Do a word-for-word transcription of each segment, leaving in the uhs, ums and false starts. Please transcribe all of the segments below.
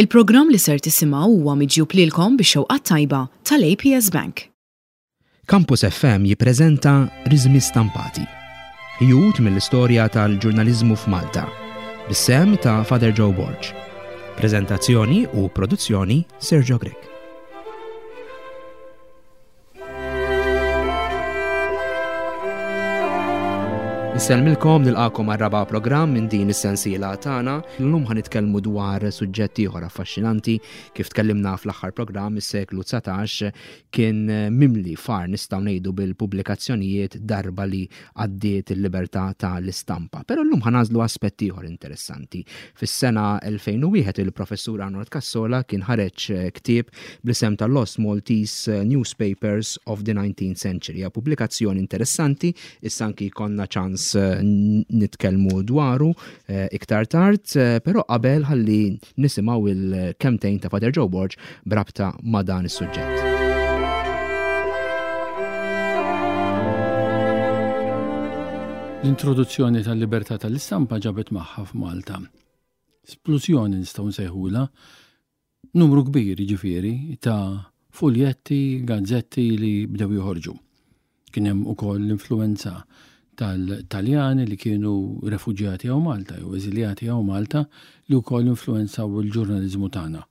Il-programm li ser tisimgħu huwa miġjub lilkom bix-xewqa tajba tal-A P S Bank. Campus F M jippreżenta Riżmi Stampati. Ħjut mill-istorja tal-ġurnaliżmu f'Malta. Bis-sehem ta' Father Joe Borg. Prezentazzjoni u produzzjoni, Sergio Grech. Insellmilkom, nilqagħkom għar-raba' programm minn din is-sensiela tagħna. Illum ħa nitkellmu dwar suġġett ieħor affaxxinanti. Kif tkellimna fl-aħħar programm, is-seklu dsatax kien mimli far, nistgħu ngħidu, bil-pubblikazzjonijiet darba li għaddiet il-libertà tal-istampa. Però llum ħa nagħżlu aspett ieħor interessanti. Fis-sena elfejn u wieħed il-professur Arnold Cassola kien ħareġ ktieb bl-isem ta' Lost Maltese Newspapers of the nineteenth Century. Pubblikazzjoni interessanti, issa anki konna ċans nitkellmu dwaru eh, iktar tard, eh, però qabel ħalli nisimgħu il-kelmtejn ta' Father Joe Borg brabta ma' dan is-suġġett. L-introduzzjoni tal-libertà tal-istampa ġabet magħha f'Malta splużjoni, nistgħu nsejħula, numru kbir ġifieri ta' fuljetti, gazzetti li bdew joħorġu. Kien hemm ukoll l-influenza tal-Taljani li kienu refuġjati hawn Malta jew eżiljati hawn Malta li wkoll influenzaw il-ġurnaliżmu tagħna.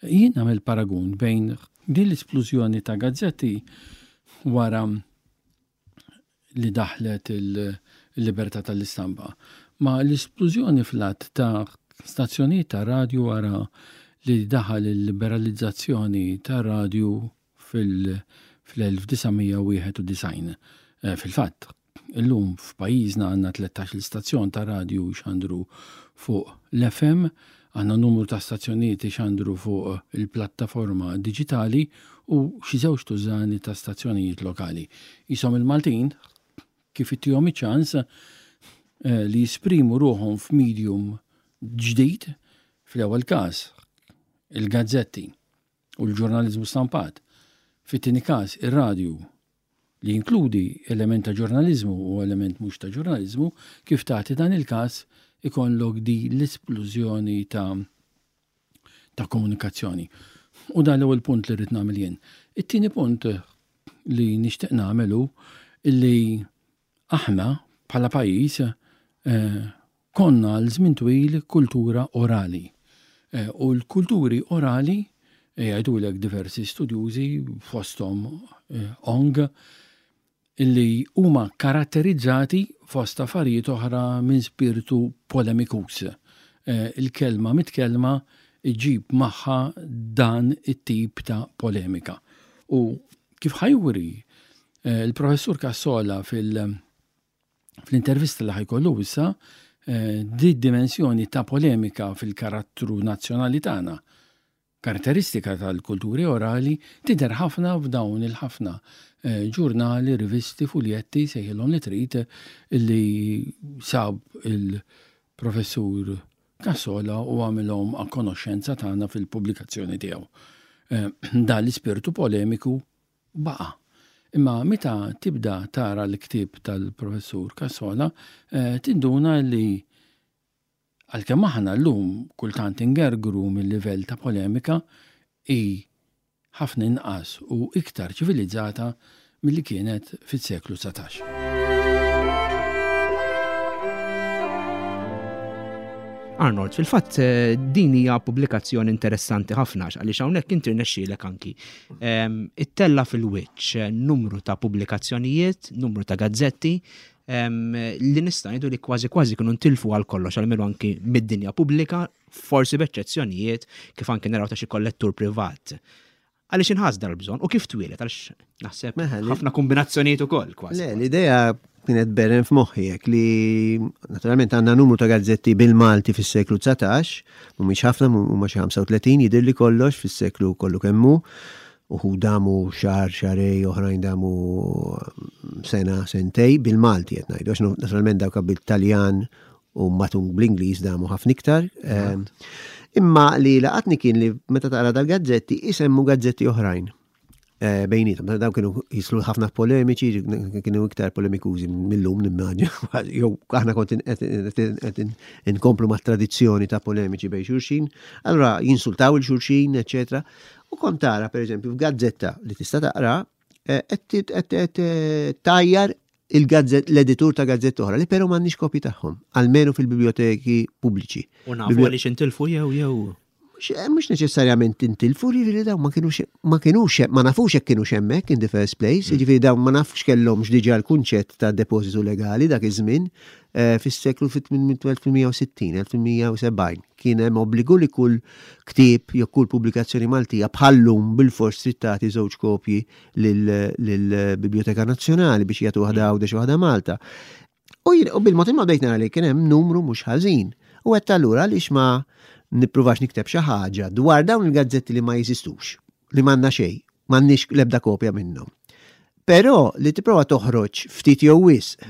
Jien nagħmel paragun bejn din l-isplużjoni ta' gazzetti wara li daħlet il-libertà tal-istampa ma' l-isplużjoni fl-għadd ta' stazzjonijiet ta' radju wara li daħal il-liberalizzazzjoni ta' radju fil-elf disa' mija wieħed u disgħin. Eh, fil-fatt, illum f'pajjiżna għandna tlettax-il stazzjon ta' radju xandru fuq l-F M, għandna numru ta' stazzjonijiet xandru fuq il-plattaforma digitali u xi żewġ tużani ta' stazzjonijiet lokali. Jisom il-Maltin kif ittihom iċ-ċans eh, li jisprimu ruħhom f'medium ġdid, fl-ewwel każ il-gazzetti u l-ġurnaliżmu stampat, fit-tieni każ ir-radju li jinkludi element ta' ġurnaliżmu u element mhux ta' ġurnaliżmu, kif tagħti dan il-każ ikollok di l-isplużjoni ta' ta' komunikazzjoni. U dan l-ewwel punt li rrid nagħmel jien. It-tieni punt li nixtieq nagħmelu illi aħna bħala pajjiż eh, konna għal żmien twil kultura orali. Eh, u l-kulturi orali eh, jgħidulek diversi studjużi, fosthom Ong, illi huma karatterizzati fost affarijiet oħra minn spiritu polemikus. Il-kelma mitkelma iġib magħha dan it-tip ta' polemika. U kif ħa juri il-professur Cassola fil- fl-intervista li ħa jkollu issa, eh, di dimensjoni ta' polemika fil-karattru nazzjonali tagħna, karatteristika tal-kulturi orali, tidher ħafna f'dawn il-ħafna eh, ġurnali, rivisti, fuljetti, sejħilhom li trid, li sab il-professur Cassola u għamilhom a konoxxenza tagħna fil-pubblikazzjoni tiegħu. Eh, dan l-ispirtu polemiku baqa'. Imma meta tibda tara l-ktib tal-professur Cassola, eh, tinduna li għalkemm aħna llum kultant ingergru mill-livell ta' polemika, hi ħafna inqas u iktar ċivilizzata milli kienet fis-seklu dsatax. Arnold, fil-fatt eh, din hija pubblikazzjoni interessanti ħafna għaliex hawnhekk inti rnexxielek anki ehm, ittella' fil-wiċċ eh, numru ta' pubblikazzjonijiet, numru ta' gazzetti ehm, li nista' ngħidu li kważi kważi kienu ntilfu għal kollox, almenu anki mid-dinja pubblika, forsi b'eċċezzjonijiet kif anki naraw ta' xi kollettur privat. Għaliex inħass dal-bżonn u kif twieled, għaliex naħseb ħafna kombinazzjonijiet ukoll kważi. Le, l-idea kienet beren f'moħħi hekk li naturalment għandna numru ta' gazzetti bil-Malti fis-seklu dsatax, mhumiex ħafna, huma xi ħamsa u tletin jidher li kollox fis-seklu kollu kemmu, uħud damu xahar, xahrejn, oħrajn damu sena, sentej, bil-Malti qed ngħidu, għax naturalment dawk bil-Taljan u matung bl-Ingliż damu ħafna iktar. Ehm, imma li laqatni kien li meta taqra dal-gazzetti isemmu gazzetti oħrajn. Eh, bejnietom. Dawn kienu jislu ħafna polemiċi, kienu iktar polemikużi mill-lum nimmaġina. Jew aħna kont qed inkomplu ma' tradizzjoni ta' polemiċi bejn xulxin, allura jinsultaw 'il xulxin, eċetera. U kont tara, per eżempju, f'gazzetta li tista' taqra, eh, qed tgħajjar il-gazzett, l-editur ta' gazzetta oħra, li però m'għandniex kopji tagħhom, almenu fil-biblioteki pubbliċi. U nafu għaliex intilfu jew jew. Mhux neċessarjament intilfu, li dawn ma kienux, ma kienux, ma nafux jekk kienux hemmhekk in the first place, mm. Jiġifieri dawn ma nafx kellhomx diġà l-kunċett ta' depożitu legali dak iż-żmien eh, fis-seklu fit-elf tmien mija u sittin, elf tmien mija u sebgħin. Kien hemm obbligu li kull ktieb jew kull pubblikazzjoni Maltija bħallum bil-fors trid tagħti żewġ kopji lill-Biblioteka Nazzjonali biex jagħtu waħda Għawdex u waħda Malta. U bil-mod il bdejt nara li kien hemm numru mhux ħażin. U għedt allura għaliex ma nippruvax nikteb xi ħaġa dwar dawn il-gazzetti li ma jeżistux, li m'għandna xejn, m'għandniex l-ebda kopja minnhom. Però li tipprova toħroġ ftit jew wisq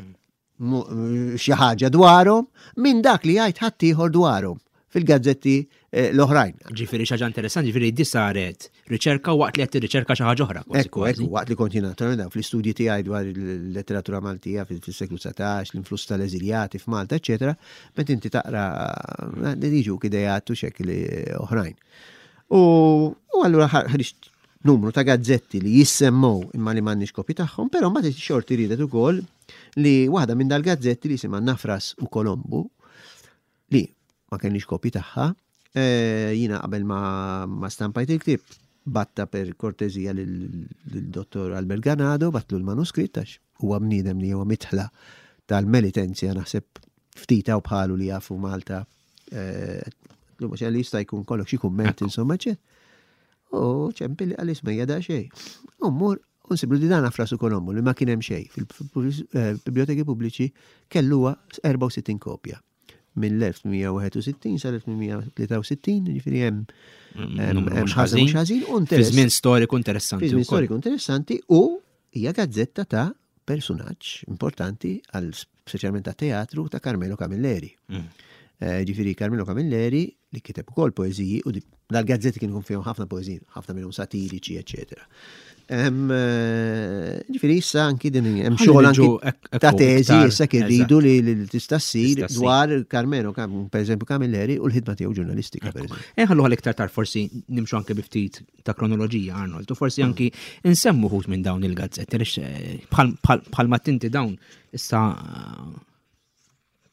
xi ħaġa dwarhom minn dak li jgħid ħaddieħor dwarhom fil-gazzetti eh, l-oħrajn. Ġifieri xi ħaġa interessanti, ġifieri di saret riċerka waqt li qed tirriċerka xi ħaġa oħra. Ekku, ekku, waqt li kont jiena fl-istudji tiegħi dwar il-letteratura Maltija fis-seklu dsatax, l-influss tal-eżiljati f'Malta, eċetera, meta inti taqra jiġuk idejat u xekli oħrajn. U allura ħriġt numru ta' gazzetti li jissemmow imma li m'għandniex kopji tagħhom, però ma xorti ridet ukoll li waħda minn dal-gazzetti li jisimha Nafras u Kolombu li ma kellniex kopji tagħha, eh, jiena qabel ma, ma stampajt il-ktieb bgħattha per kortezija lil-dottor Albert Ganado, bgħattlu l-manuskritt għax huwa bniedem li huwa mitħla tal-Melitensia, naħseb ftit u bħalu li jafu Malta. Eh, li jista' jkun kollok xi kumment insomma ċe. U ċempilli qalli isma' da xejn. U mmur u nsiblu di dan Nafras u Kolombu li ma kien hemm xejn fil-biblioteki pubbliċi kelluha erbgħa u sittin kopja mill-elf tmien mija u wieħed u sittin sal-elf tmien mija u tlieta u sittin, ġifieri hemm mhux ħażin, ħażin u Fi żmien storiku interessanti. Fi żmien storiku interessanti u hija gazzetta ta' personaġġ importanti għal speċjalment ta' teatru ta' Carmelo Camilleri. Mm. Eh, ġifieri Carmelo Camilleri li kiteb ukoll poeżiji u dal-gazzetti kienu fihom ħafna poeżiji, ħafna minnhom satiriċi, eċetera. Eh, ġifieri issa anki din hemm xogħol anki ta' teżi issa kirridu li tista' ssir dwar Carmelo, per eżempju Camilleri u l-ħidma tiegħu ġurnalistika, per eżempju. Inħallu għal iktar tard forsi nimxu anke bi ftit ta' kronoloġija, Arnold, u forsi anki nsemmu wħud minn dawn il-gazzetti, eh, bħal ma tinti dawn issa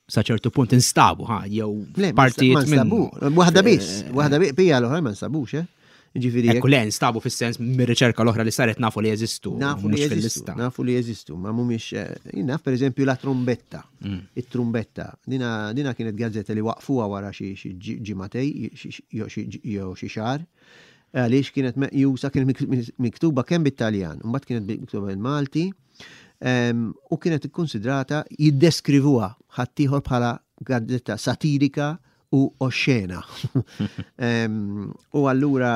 sa ċertu punt instabu, ha, jew partijiet minn. Waħda biss, eh, waħda biss, bija l-oħra ma nstabux, eh? Ġifieri. Ekku le, nstabu fis-sens mir-riċerka l-oħra li saret nafu li jeżistu. Nafu li jeżistu, nafu li jeżistu, ma mhumiex eh, naf per eżempju la Trumbetta. Mm. It-Trumbetta. Dina, dina kienet gazzetta li waqfuha wara xi ġimagħtejn jew xi xahar. Għaliex kienet meqjusa, kienet miktuba kemm bit-Taljan, mbagħad kienet miktuba bil-Malti u kienet ikkonsidrata jiddeskrivuha ħaddieħor bħala gazzetta satirika u oxxena. U allura,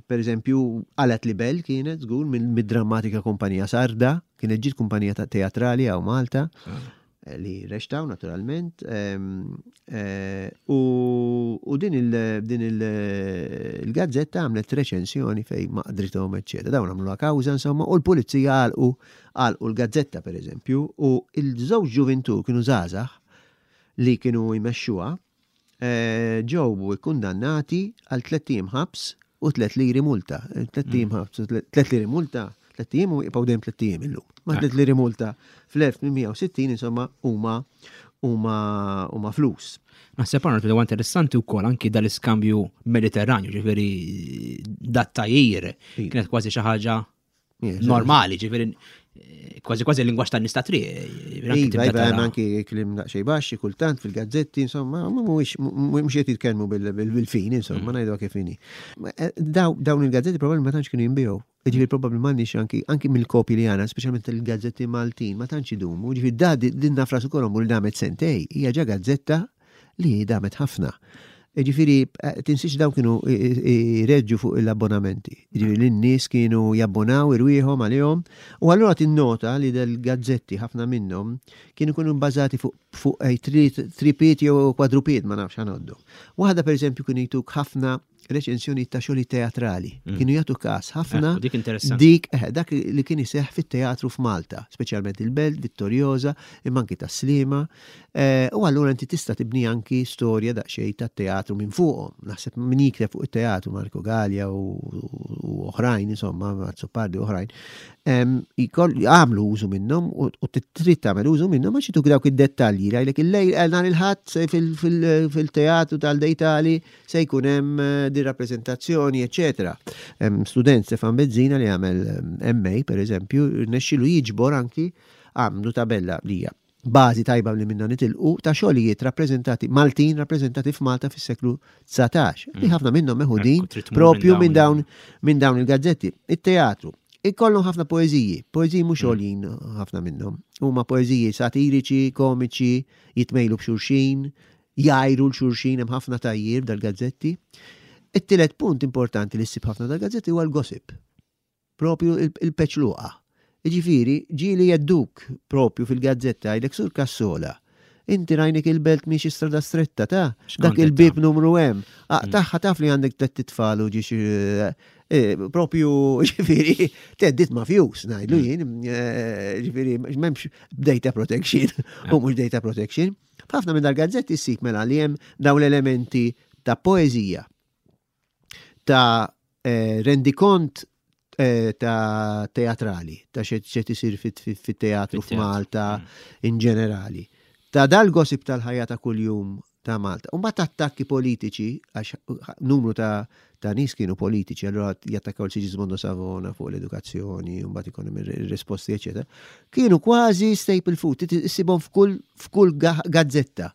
per eżempju, Qalet Libell kienet, żgur, mid-drammatika kumpanija Sarda, kienet ġiet kumpanija ta' teatrali hawn Malta, ah. li reċtaw naturalment. Eh, u din il-gazzetta għamlet reċensjoni fej maqdrithom, eċċetera. Dawn għamlu kawża insomma, u l-pulizija għalqu għalqu l-gazzetta per eżempju, u il-żewġ ġuvintur kienu żgħażagħ li kienu jmexxuha eh, ġew kundannati għal tlett ijiem ħabs u tliet liri multa. Tlett ijiem mm. ħabs, tliet liri multa, tlett ijiem u jibqgħu dejjem tlett ijiem illum. Ma tliet liri multa fl-elf tmien mija u sittin insomma huma huma huma flus. Naħseb għarna huwa interessanti wkoll anki dal-iskambju Mediterranju, ġifieri dat-tajjir kienet kważi xi ħaġa normali, ġifieri kważi kważi l-lingwaġġ tan-nies ta' triq. Iva, iva, hemm anki kliem daqsxejn baxxi kultant fil-gazzetti, insomma, mhuwiex mhux qed jitkellmu bil-fin, insomma, mm. ngħidu kif inhi. Eh, dawn il-gazzetti probabbli ma tantx kienu jinbiegħu. Ġifieri probabbli m'għandniex anki anki mill-kopji li għandna, speċjalment il-gazzetti Maltin, ma tantx idumu. Ġifieri da din Nafras u Kolombu li damet sentejn, hija ġa gazzetta li damet ħafna. Ġifieri, eh, tinsiex dawn kienu jreġġu fuq l-abbonamenti. Ġifieri, l-nies kienu jabbonaw irwieħhom għalihom. U allura tinnota li del-gazzetti ħafna minnhom kienu kienu bbażati fuq fuq eh, tripiet jew kwadrupiet, ma nafx ħanoddu. Waħda per eżempju kienu jtuk ħafna Reċensjoni ta' xogħli teatrali. Mm. Kienu jagħtu każ ħafna. Dik interessanti. Dik eh, dak li kien iseħħ fit-teatru f'Malta, speċjalment il-Belt, Vittoriosa, imma anki tas-Sliema. Eh, u allura inti tista' tibni anki storja daqsxejn tat-teatru minn fuqhom. Naħseb min jikteb fuq it-teatru Marco Gallia u oħrajn, insomma, Azzopardi u oħrajn, għamlu użu minnhom u trid tagħmel użu minnhom għax jituk dawk id-dettalji. Jgħidlek il-lejl eh, nhar il-Ħadd fil-teatru tal-Dejtali se jkun hemm eh, di rappreżentazzjoni, eċetera. Student Stefan Bezzina li għamel M A, per eżempju, rnexxielu jiġbor anki, għamlu tabella li hija bażi tajba li minna nitilqu ta' xogħlijiet rappreżentati Maltin rappreżentati f'Malta fis-seklu dsatax. Li mm. ħafna minnhom meħudin propju minn dawn minn dawn il-gazzetti. It-teatru ikollhom ħafna poeżiji, poeżiji mhux mm. għoljin ħafna minnhom. Huma poeżiji satiriċi, komiċi, jitmejlu b'xulxin, jgħajru 'l xulxin, hemm ħafna tgħajjir dal-gazzetti. It-tielet punt importanti li ssib ħafna dal-gazzetti huwa l-gossip. Propju il-peċluqa. Ġifieri, ġieli jgħedduk propju fil-gazzetta, jgħidlek, "Sur Cassola, inti rajnik il-Belt miexi Strada Stretta ta' dak il-bib numru hemm. Ah, mm. Taħħa taf li għandek tliet tfal u ġiex eh, eh, propju ġifieri theddid mafjuż ngħidlu mm. jien, eh, ġifieri m'hemmx data protection u mhux data protection." Ħafna minn dal-gazzetti ssib mela li hemm dawn l-elementi ta' poeżija, ta' rendikont ta' teatrali, ta' x'qed isir fit-teatru f'Malta mm. in ġenerali, ta' dal-gossip tal-ħajja ta' kuljum ta' Malta. U mbagħad attakki politiċi, għax numru ta' ta' nies kienu politiċi, allura jattakkaw l-Sigismondo Savona fuq l-edukazzjoni, u mbagħad ikun hemm ir-risposti, eċetera. Kienu kważi staple food, issibhom f'kull f'kull gazzetta.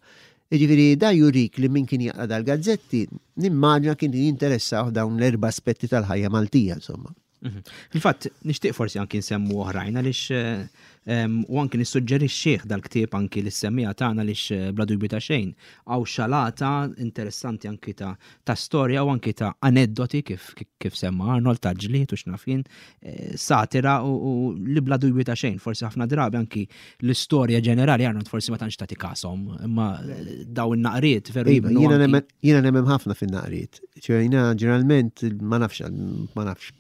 Jiġifieri da jurik li min kien jaqra dal-gazzetti, nimmaġina kien jinteressaw dawn l-erba' aspetti tal-ħajja Maltija, insomma. Mhm. Fil-fatt, nixtieq forsi anki nsemmu oħrajn għaliex eh, u anki nissuġġerixxih dal-ktieb anki lis-semmiegħa tagħna għaliex eh, bla dubju ta' xejn hawn xalata interessanti anki ta' ta' storja u anki ta' aneddoti kif kif semma Arnold, ta' ġlied u x'naf jien, eh, satira u li bla dubju ta' xejn forsi ħafna drabi anki l-istorja ġenerali, Arnold, forsi ma tantx tagħti kashom, imma daw in-naqriet veru. Iva, jiena nemmen ħafna fin-naqriet. Jiena ġeneralment ma nafx, ma nafx,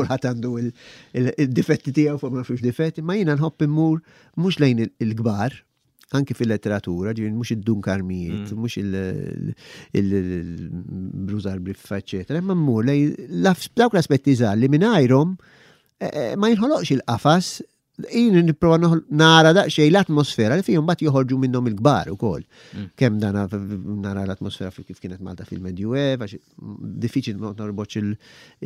kulħadd għandu il-difetti tiegħu fuq ma nafx difetti, ma jiena nħobb immur mhux lejn il-kbar, anki fil-letteratura, ġifieri mhux id-Dun Karmijiet, mm. mhux il-Bruzar Briffa, eccetera, imma mmur lejn dawk l-aspetti żgħar li mingħajrhom eh, eh, ma jinħoloqx il-qafas. Jien nipprova nara daqsxejn l-atmosfera li fihom mbagħad joħorġu minnhom il-kbar ukoll. Mm. Kemm dana nara l-atmosfera kif kienet Malta fil-Medjuev, għax diffiċli norbotx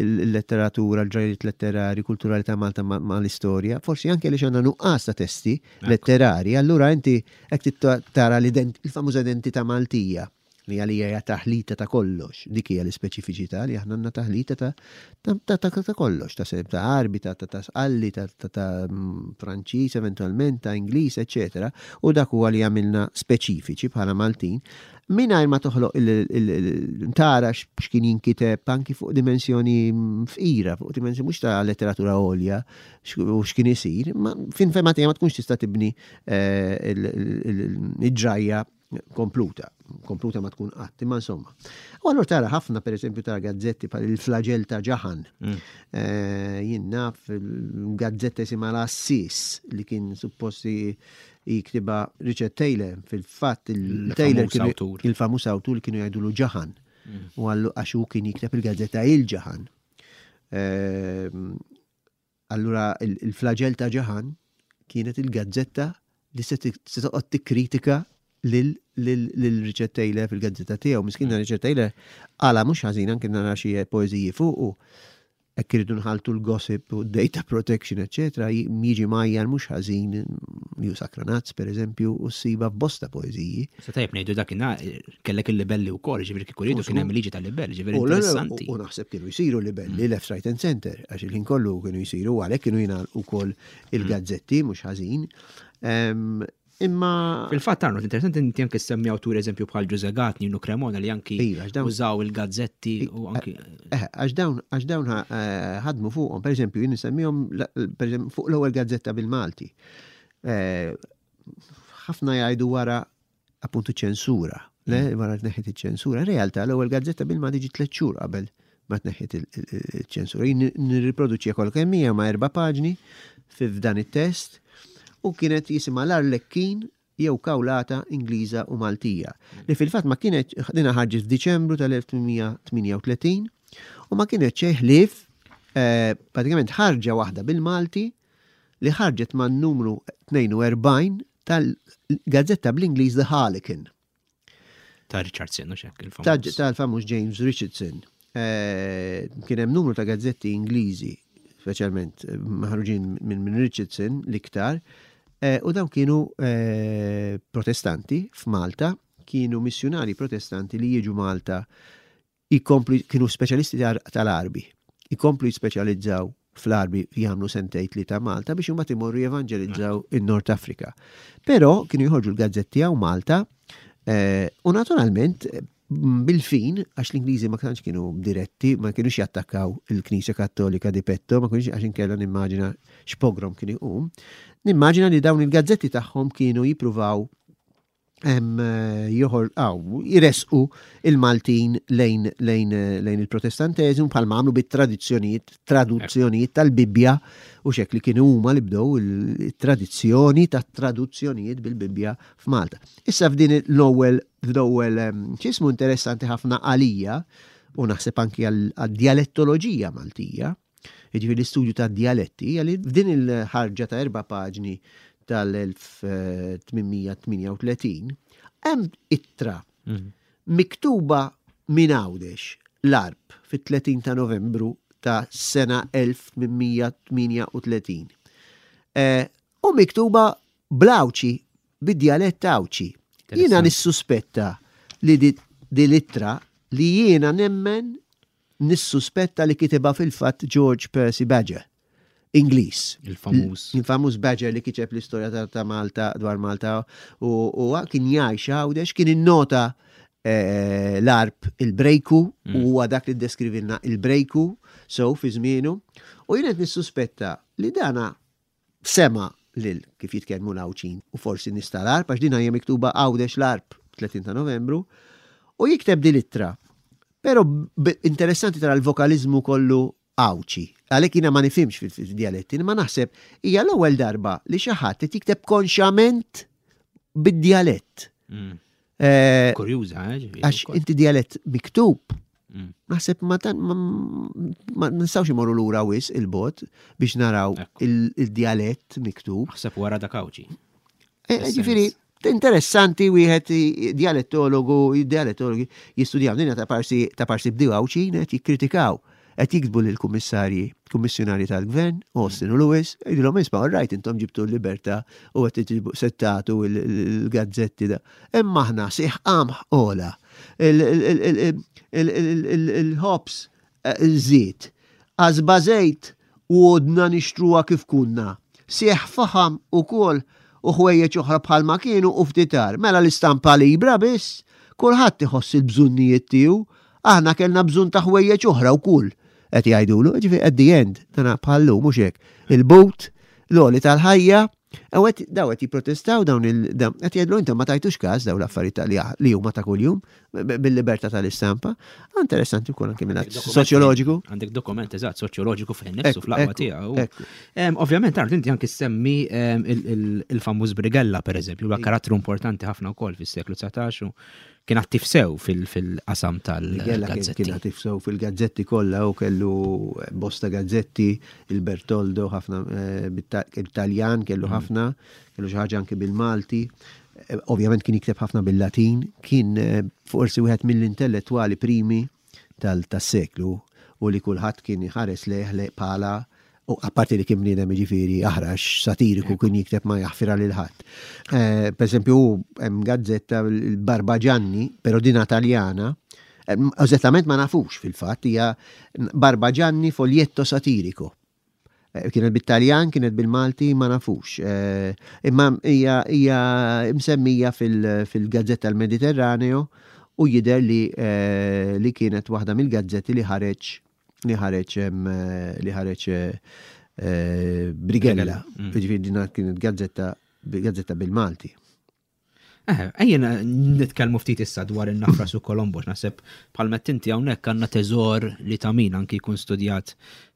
il-letteratura, l-ġrajjiet letterari, kulturali ta' Malta ma' l-istorja. Forsi anke li għandna nuqqas ta' testi letterari, allura inti hekk tara l-famuża identità Maltija li għalija hija taħlita ta' kollox. Dik hija l-ispeċifiċità li aħna għandna taħlita ta' ta' ta' kollox, ta' ta' Arbi, ta' ta' Sqalli, ta' ta' mm, Franċiż eventualment, ta' Ingliż, eċetera. U dak huwa li għamilna speċifiċi bħala Maltin. Mingħajr ma toħloq tara x'kien jinkiteb anki fuq dimensjoni fqira, fuq dimensjoni mhux ta' letteratura għolja u x'kien isir, ma fin fema ma tkunx tista' tibni eh, il-ġrajja kompluta, kompluta ma tkun qatt, imma insomma. U allura tara ħafna, per eżempju, tara gazzetti bħal il-Flagell ta' Ġaħan. Mm. Eh, jien naf gazzetta jisimha l-Assis li kien supposti jiktibha Richard Taylor, fil-fatt il-Taylor il-famuż awtur li kienu jgħidulu Ġaħan. Mm. U għallu għax hu kien jikteb il-gazzetta il-Ġaħan. Eh, allura il-Flagell ta' Ġaħan kienet il-gazzetta li se toqgħod tikkritika lil Richard Taylor fil-gazzetta tiegħu. Miskin Richard Taylor għala mhux ħażin, anke nara xi poeżiji fuqu. Hekk irridu nħaltu l-gossip u data protection, eccetera, jiġi majjar mhux ħażin ju Sakranazz, per eżempju, u ssiba f'bosta poeżiji. Sa tajjeb ngħidu dakinhar kellek il-libelli wkoll, ġifieri kieku rridu kien hemm liġi tal-libelli, ġifieri interessanti. U naħseb kienu jsiru libelli mm. left, right and center, għax il-ħin kollu kienu jsiru, għalhekk kienu jingħalqu ukoll il-gazzetti mhux ħażin. Imma. Fil-fatt, Arnold, interessanti inti anke semmi awtur eżempju bħal Ġuże Gatt, Ninu Cremona li anki iva, użaw il-gazzetti u anki. Eh, għax dawn għax dawn eh, ħadmu fuqhom, per eżempju, jien insemmihom fuq l-ewwel gazzetta bil-Malti. Eh, ħafna jgħidu wara appuntu ċensura. Le, wara tneħħit iċ-ċensura. Realtà l-ewwel gazzetta bil-Malti ġiet tliet xhur qabel ma tneħħit il-ċensura. Jien nirriproduċi kollha kemm hija ma' erba' paġni f'dan it-test u kienet jisimha l-Arlekkin jew Kawlata Ingliża u Maltija. Li fil-fatt ma kienet dina ħarġet f'Diċembru tal-elf tmien mija tmienja u tletin u ma kienet xejn ħlief eh, pratikament ħarġa waħda bil-Malti li ħarġet man numru tnejn u erbgħin tal-gazzetta bl-Ingliż The Harlequin. Ta' Richardson, u xek, il-famuż. Tal-famuż James Richardson. Eh, kien hemm numru ta' gazzetti Ingliżi, speċjalment eh, maħruġin minn min Richardson l-iktar, eh, u dawn kienu protestanti f'Malta, kienu missjonari protestanti li jiġu Malta, jikomplu, kienu speċjalisti tal-Għarbi, jikomplu jispeċjalizzaw fl-Għarbi, jagħmlu sentejn li ta' Malta biex imbagħad imorru jevanġelizzaw in-Nord Afrika. Però kienu jħorġu l-gazzetti hawn Malta u naturalment bil-fin, għax l-Ingliżi ma kienx kienu diretti, ma kienux jattakkaw il-Knisja Kattolika di petto, ma kienux, għax inkella nimmaġina x'pogrom kien iqum. Nimmaġina li dawn il-gazzetti tagħhom kienu jippruvaw joħor, aw, jiresqu il-Maltin lejn, lejn, lejn il-Protestanteżmu bħalma għamlu bit-tradizzjonijiet, traduzzjonijiet tal-Bibbja u xek li kienu huma li bdew il-tradizzjoni ta' traduzzjonijiet bil-Bibbja f'Malta. Issa f'din l-ewwel l-ewwel ċismu interessanti ħafna għalija u naħseb anki għal-dialettoloġija Maltija, jiġifieri l-istudju ta' dialetti, għalli f'din il-ħarġa ta' erba' paġni tal-elf tmien mija tmienja u tletin, hemm ittra mhm. miktuba minn Għawdex l-Għarb fit-tletin ta' Novembru ta' sena elf tmien mija tmienja u tletin. Eh, u miktuba bl-Għawdxi, bid-djalett Għawdxi. Jiena nissuspetta li di l-ittra li jiena nemmen nissuspetta li kitibha fil-fatt George Percy Badger. Ingliż. Il-famuż. Il-famuż Badger li kiteb l-istorja ta' ta' Malta, dwar Malta u u kien jgħix Għawdex, kien innota eh, l-Għarb il-brejku u huwa dak li deskrivilna il-brejku so fi żmienu. U jien qed nissuspetta li dana sema lil kif jitkellmu l-Għawdxin u forsi nies tal-Għarb, għax dina hija miktuba Għawdex l-Għarb tletin ta' Novembru, u jikteb din l-ittra. Pero b- interessanti tara l-vokalizmu kollu Għawdxi. Għalhekk jiena ma nifhimx fil-dialetti, ma naħseb hija l-ewwel darba li xi ħadd qed jikteb konxament bid-dialett. Mm. Eh, Kurjuża, eh? Ġifieri Għax wkoll. inti dialett miktub, Mm. naħseb ma tan ma ma nistgħux imorru lura wisq il-bogħod biex naraw Ekku. il- il-dialett miktub. Naħseb wara dak Għawdxi. Eh, Ġifieri, interessanti wieħed i- dialettologu, dialettologi jistudjaw dinja ta' parsi ta' parsi bdew Għawdxin qed jikkritikaw, qed jiktbu lill-kummissarji, kummissjonari tal-gvern, Austin u Lewis, jgħidulhom: "Isma', all right, intom ġibtu l-libertà u qed tiġibu settatu il-gazzetti da. Imma aħna sieħ qamħ ola, il-ħobż żied, qasba żejt u għodna nixtruha kif kunna. Sieħ faħam ukoll u ħwejjeġ oħra bħalma kienu u ftitar. Mela l-istampa libra biss, kulħadd iħoss il-bżonnijiet tiegħu, aħna kellna bżonn ta' ħwejjeġ oħra wkoll." Qed jgħidulu, ġifieri at the end, dana bħallu mhux hekk. Il-but, l-għoli tal-ħajja, u qed daw qed jipprotestaw dawn il dawn qed jgħidlu intom ma tajtux każ dawn l-affarijiet li li huma ta' kuljum bil-libertà tal-istampa. Interessanti wkoll anke minn Għandek soċjoloġiku. Għandek dokument eżatt soċjoloġiku fejn nifsu Ekku, fl-aqwa ekku, tiegħu. ekku. Em, Ovvjament, Arnold, inti anki semmi em, il- il- il-famuż Brigella, per eżempju, huwa karattru importanti ħafna wkoll fis-seklu dsatax u kien attiv sew fil- fil-qasam Brigella kien tal-gazzetti. kien attiv sew fil-gazzetti kollha u kellu bosta gazzetti, il-Bertoldo ħafna eh, bit-Taljan kellu ħafna, kellu xi ħaġa anke bil-Malti. Eh, Ovvjament kien jikteb ħafna bil-Latin, kien eh, forsi wieħed mill-intellettwali primi tal-seklu u li kulħadd kien iħares lejh le bħala u apparti li kien bniedem jiġifieri aħrax, satiriku, kien jikteb ma jaħfira lil ħadd. Eh, per eżempju, hemm gazzetta il-Barbagianni, però dina Taljana, eh, eżattament ma nafux fil-fatt, hija Barbagianni foglietto satirico. Eh, Kienet bit-Taljan, kienet bil-Malti, ma nafux. Eh, Imma hija hija msemmija fil- fil-Gazzetta l-Mediterraneo u jidher li eh, li kienet waħda mill-gazzetti li ħareġ li ħareġ em, eh, li ħareġ eh, eh, Brigella. Mm. Ġifieri dina kienet gazzetta gazzetta bil-Malti. Eh, ejja nitkellmu ftit issa dwar in-Nafras u Kolombo, naħseb bħalma inti hawnhekk għandna teżor li ta' min anki jkun studjat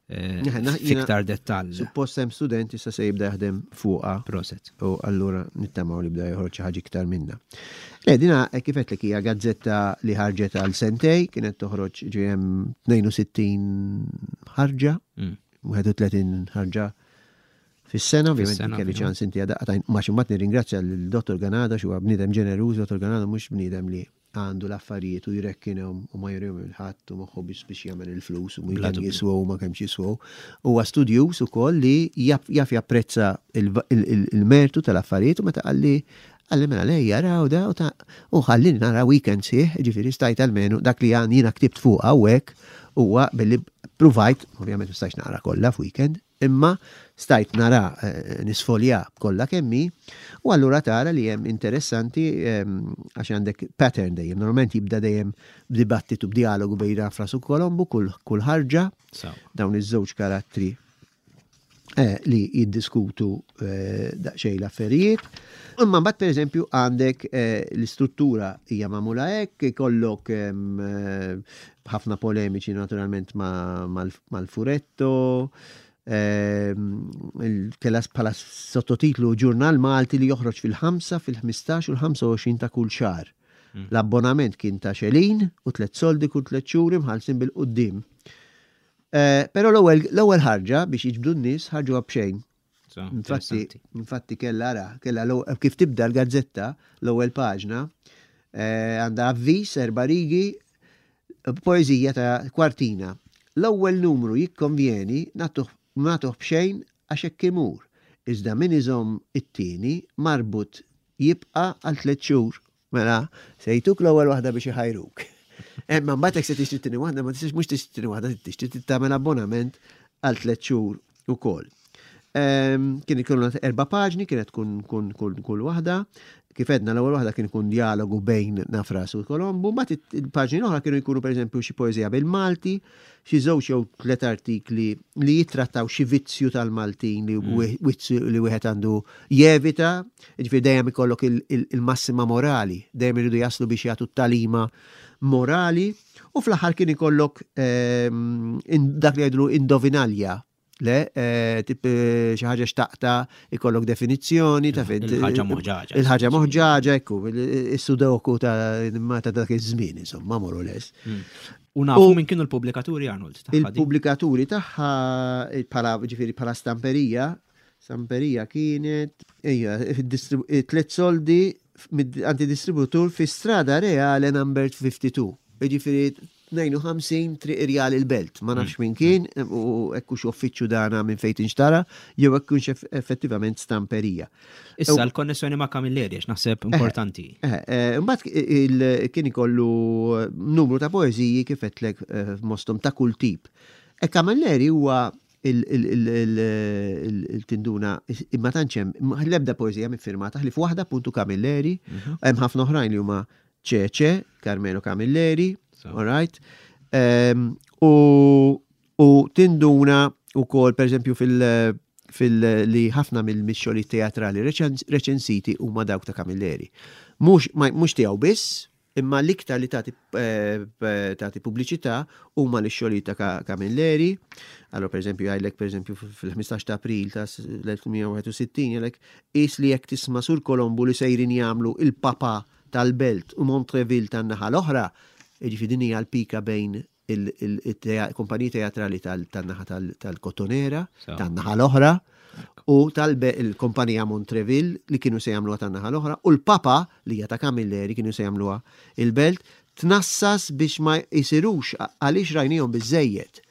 eh, fiktar dettall. Suppost hemm student issa se jibda jaħdem fuqha. Proset. U allura nittamaw li bda joħroġ xi ħaġa iktar minna. Le, dina eh, kif għedtlek hija gazzetta li ħarġet għal sentej, kienet toħroġ ġiem tnejn u sittin ħarġa, Mm. wieħed u tletin ħarġa fis-sena, ovvjament Fis-sena, kelli fil- ċans inti għadaqqa ma ximmat nirringrazzja l-Dottor Ganado, huwa bniedem ġeneruż. Dottor Ganado mhux bniedem li għandu l-affarijiet u jrekkinhom u ma jurihom il-ħadd u moħħu biex biex jagħmel il-flus u Bla kemm dubju. jiswew u ma kemm jiswew. Huwa studjuż ukoll li jaf jaf japprezza il- il- il- il-mertu tal-affarijiet u meta qalli qalli mela lej jaraw da u ta' u ħallini nara weekend sieħ, ġifieri stajt almenu dak li għan jiena ktibt fuq hawnhekk huwa billi provajt, ovvjament ma stajtx naqra kollha f'weekend, imma stajt nara eh, nisfolja kollha kemmi u allura tara li hemm interessanti ehm, għax għandek pattern dejjem, normalment jibda dejjem b'dibattitu, b'dialogu bejn Nafras u Kolombu kull kull ħarġa Sawa. dawn iż-żewġ karattri eh, li jiddiskutu eh, daqsxejn l-affarijiet. Imma mbagħad, pereżempju, għandek eh, l-istruttura hija magħmula hekk, ikollok em, eh, ħafna polemiċi naturalment ma- mal- mal-Furetto, ehm, il- kella bħala sottotitlu Ġurnal Malti li joħroġ fil-ħamsa, fil-ħmistax u l-ħamsa u għoxrin ta' kull xahar. L-abbonament kien ta' xelin u tliet soldi kull tliet xhur imħallsin bil-qudiem. Eh, Però l-ewwel l-ewwel ħarġa, biex jiġbdu n-nies, ħarġuha b'xejn. So, Infatti, interessanti. infatti kella ra, kella l- kif tibda l-gazzetta, l-ewwel paġna, eh, għandha avviż, erba' rigi, poeżija ta' kwartina. "L-ewwel numru jikkonvjeni nagħtuh nagħtuh b'xejn għax hekk imur. Iżda min iżomm it-tieni marbut jibqa' għal tliet xhur." Mela, se jtuk l-ewwel waħda biex iħajruk. Imma mbagħad jekk se tixtri t-tieni waħda, ma tistax, mhux tixtri t-tieni waħda, tixtri tagħmel abbonament għal tliet xhur ukoll. Ehm, Kien ikun erba' paġni, kienet tkun kun kull kull waħda. Kif edna, l-ewwel waħda kien ikun dialogu bejn Nafras u Kolombu, mbagħad il-paġni l-oħra kienu jkunu, pereżempju, xi poeżija bil-Malti, xi żewġ jew tliet artikli li jittrattaw xi vizzju tal-Maltin li mm. vizzju li wieħed għandu jevita, jiġifieri dejjem ikollok il- il- il-massima morali, dejjem iridu jaslu biex jagħtu t-talima morali, u fl-aħħar kien ikollok ehm, in- dak li jgħidlu indovinalja. Le, eh, tip eh, xi ħaġa xtaqta, ikollok definizzjoni ta' fejn Il-ħaġa moħġaġa. Il-ħaġa moħġaġa, ekku, il-sudoku ta' ma ta' dak iż-żmien, insomma, more or less. U nafu U- min kienu l-pubblikaturi, Arnold, tagħha din? Il-pubblikaturi tagħha bħala, ġifieri bħala stamperija, stamperija kienet ejja, distrib- tliet soldi anti-distributur fi Strada Reale number fifty-two. Ġifieri tnejn u ħamsin Triq Irjal il-Belt. Ma nafx min kien u ekkux uffiċċju dana minn fejn tinxtara jew ekkux effettivament stamperija. Issa l-konnessjoni ma' Camilleri, għax naħseb importanti. Eh, eh, Mbagħad il- kien ikollu numru ta' poeżiji, kif għedtlek, eh, mostom ta' kull tip. E Camilleri huwa il- il- il- il- il- il-tinduna imma tantx hemm l-ebda poeżija miffirmata ħlief waħda, puntu Camilleri, hemm ħafna oħrajn li huma Ċeċe, Carmelo Camilleri, So. all right? Em, U u tinduna ukoll, per eżempju, fil- fil li ħafna mill-mixxoli teatrali reċens- reċensiti huma dawk ta' Camilleri. Mhux ma- mhux tiegħu biss, imma l-iktar li tagħti eh, eh, tagħti pubbliċità huma l-xogħlijiet ta' Ka- Camilleri. Allora, per eżempju, jgħidlek, per eżempju, fil-ħmistax ta' April ta' l-elf tmien mija wieħed u sittin, jgħidlek is li jekk tisma' Sur Kolombu li sejrin jagħmlu il-Papa tal-Belt u Montreville tan-naħa l-oħra, jiġifieri din hija l-pika bejn il-kumpaniji teatrali tal-naħa tal-Kottonera, So. tan-naħa l-oħra, u tal-kumpanija Montreville li kienu se jagħmluha tan-naħa l-oħra, u l-Papa li hija ta' Camilleri kienu se jagħmluha il-Belt, tnassas biex ma jsirux għaliex rajnihom biżejjed.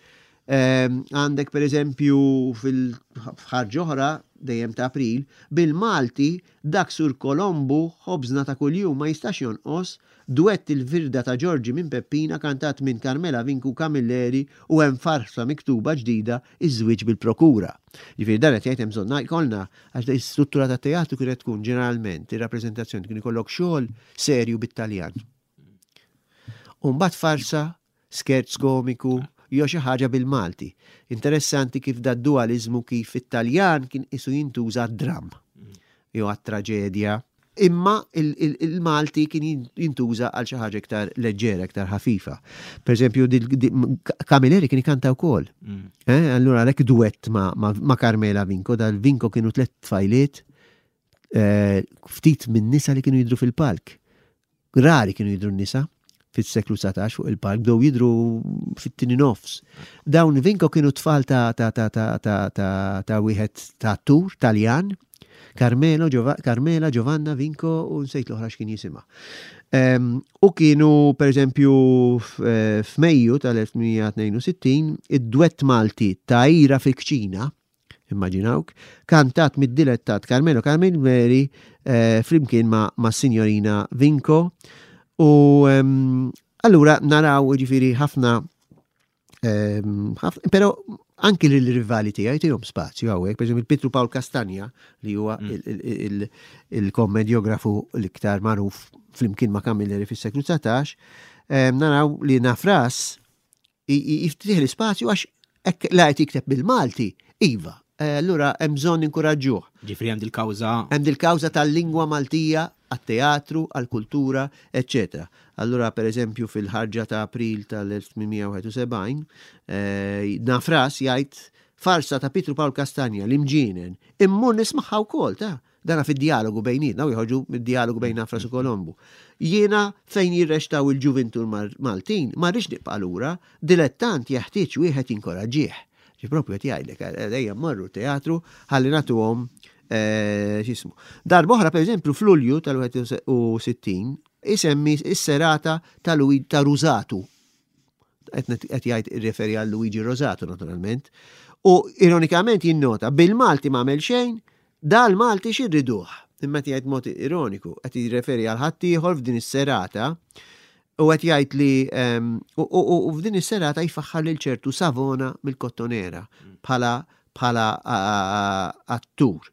Ehm, Għandek per eżempju fil-ħarġa oħra dejjem ta' April, bil-Malti, "Dak Sur Kolombu ħobżna ta' kuljum ma jistax jonqos", duett "Il-Firda ta' Ġorġi minn Peppina" kantat minn Carmela Vinku Camilleri, u hemm farsa miktuba ġdida, "Iż-żwieġ bil-prokura". Ġifieri dan qed jgħid hemm bżonn jkollna, għax da struttura ta' teatru kienet tkun ġeneralment ir-rappreżentazzjoni kien ikollok xogħol serju bit-Taljan. U mbagħad farsa, scherz komiku, jew xi ħaġa bil-Malti. Interessanti kif da dualizmu, kif it-Taljan kien isu jintuża dram jew għat-traġedja. Imma il-Malti kien jintuża għal xi ħaġa iktar leġġera, iktar ħafifa. Per eżempju, Camilleri kien ikanta wkoll. Mm. Eh, allura għalhekk duett ma' Carmela Vinco, dal-Vinco kienu tliet tfajliet eh, ftit minn nisa li kienu jidru fil-palk. Rari kienu jidru nisa fis-seklu dsatax fuq il-palk, bdew jidru fit-tieni nofs. Dawn Vinco kienu tfal ta' ta' ta' ta' ta' ta' ta' wieħed ta' attur Taljan, Carmelo, Carmela, Giovanna, Vinco u nsejt l-oħra x'kien jisimha. U kienu, per eżempju, eh, f'Mejju tal-elf tmien mija tnejn u sittin, id-dwett Malti ta' Ira fil-Kċina, immaġinawk, kantat mid-dilettat Carmelo Camilleri eh, flimkien ma', ma Signorina Vinco. U allura naraw ġifiri ħafna, però anki l-rivali tiegħi tihom spazju hawnhekk, per eżempju Pietru Pawl Castagna li huwa mm. il-kommedjografu l-iktar magħruf flimkien ma' Camilleri fis-seklu dsatax, naraw li Nafras jiftih l-ispazju għax la qed jikteb bil-Malti, iva, eh, allura hemm bżonn inkuraġġuh. Ġifri hemm dil-kawża. Hemm dil-kawża tal-lingwa Maltija għat-teatru, għall-kultura, eccetera. Allura, per eżempju, fil-ħarġa ta' April tal-elf tmien mija wieħed u sebgħin, eh, Nafras jgħid farsa ta' Pietru Pawl Castagna, l-imġienen, immur nismagħha wkoll ta' dana fid-dialogu bejnietna, u jħorġu mid-dialogu bejn Nafras u Kolombu. Jiena fejn jirreċtaw il-ġuvintur Maltin, ma rridx nibqa' lura, dilettant jeħtieġ wieħed jinkoraġġih. Ġi propju qed jgħidlek, ejja mmorru teatru ħalli nagħtuhom eh, x'ismu. Darb'oħra, per eżempju, f'Lulju tal-wieħed u sittin isemmi is-serata ta' ta' Rusatu. Qed jgħid irreferi għal Luigi Rosato naturalment. U ironikament jinnota bil-Malti ma għamel xejn, dal-Malti x'irriduh. Imma qed jgħid mod ironiku, qed jirreferi għal ħaddieħor f'din is-serata u qed jgħid li u f'din is-serata jfaħħar lil ċertu Savona mill-Kottonera bħala bħala attur.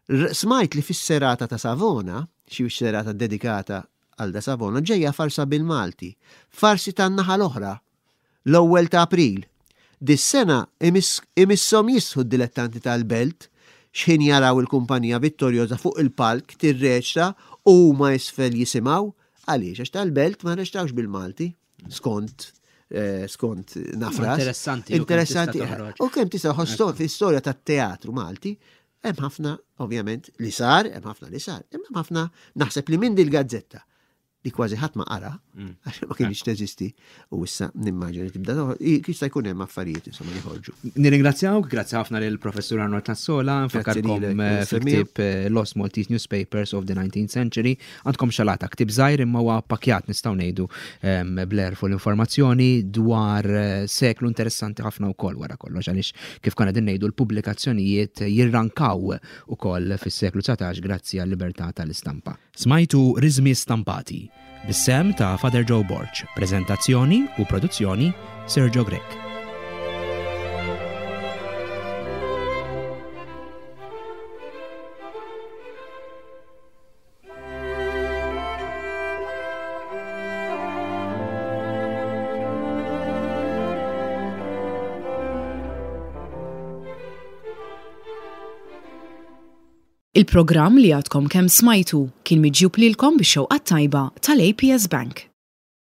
Smajt li fis-serata ta' Savona, xi serata dedikata għal da Savona, ġejja farsa bil-Malti. Farsi tan-naħa l-oħra, l-ewwel ta' April. Dis-sena imisshom jisħu d-dilettanti tal-belt x'ħin jaraw il-kumpanija vittorjosa fuq il-palk tirreċta u huma isfel jisimgħu. Għaliex? Għax tal-belt ma reċtawx bil-Malti skont eh, skont Nafras. Interessanti. Interessanti. U kemm tista' fl-istorja tat-teatru Malti hemm ħafna ovvjament li sar, hemm ħafna li sar, hemm ħafna naħseb li minn dil-gazzetta li kważi ħadd ma qara, mm. għax ma kienx teżisti, u issa nimmaġina tibda jista' jkun hemm affarijiet insomma li ħorġu. Nirringrazzjawk, grazzi ħafna lil Professur Arnold Cassola, nfakkarkom eh, fil-ktieb eh, Lost Maltese Newspapers of the nineteenth Century, għandkom xalata ktieb żgħir imma huwa pakjat nistgħu ngħidu bl-għerf u l-informazzjoni dwar eh, seklu interessanti ħafna wkoll wara kollox għaliex kif konna din ngħidu l-pubblikazzjonijiet jirrankaw ukoll fis-seklu dsatax grazzi għal-libertà tal-istampa. Smajtu Riżmi Stampati bis-sehem ta' Father Joe Borg, prezentazzjoni u produzzjoni Sergio Grech. Il-programm li għadkom kemm smajtu kien miġjub lilkom bix-xewqa tajba tal-A P S Bank.